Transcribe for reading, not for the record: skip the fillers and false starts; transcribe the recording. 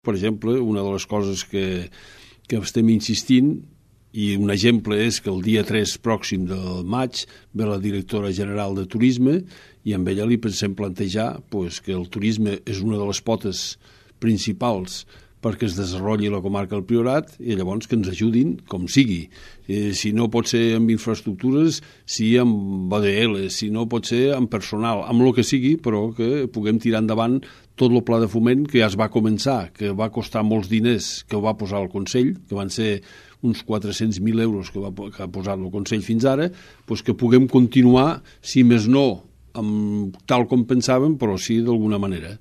Per exemple, una de les coses que estem insistint, i un exemple és que el dia 3 pròxim del maig ve la directora general de Turisme i amb ella li pensem plantejar que el turisme és una de les potes principals perquè es desenvolupi la comarca del Priorat i llavors que ens ajudin com sigui. Si no pot ser amb infraestructures, sí amb ADL, si no pot ser amb personal, amb el que sigui, però que puguem tirar endavant tot el pla de foment que ja es va començar, que va costar molts diners, que ho va posar el Consell, que van ser uns 400.000 euros que ha posat el Consell fins ara, que puguem continuar, si més no, tal com pensàvem, però sí d'alguna manera.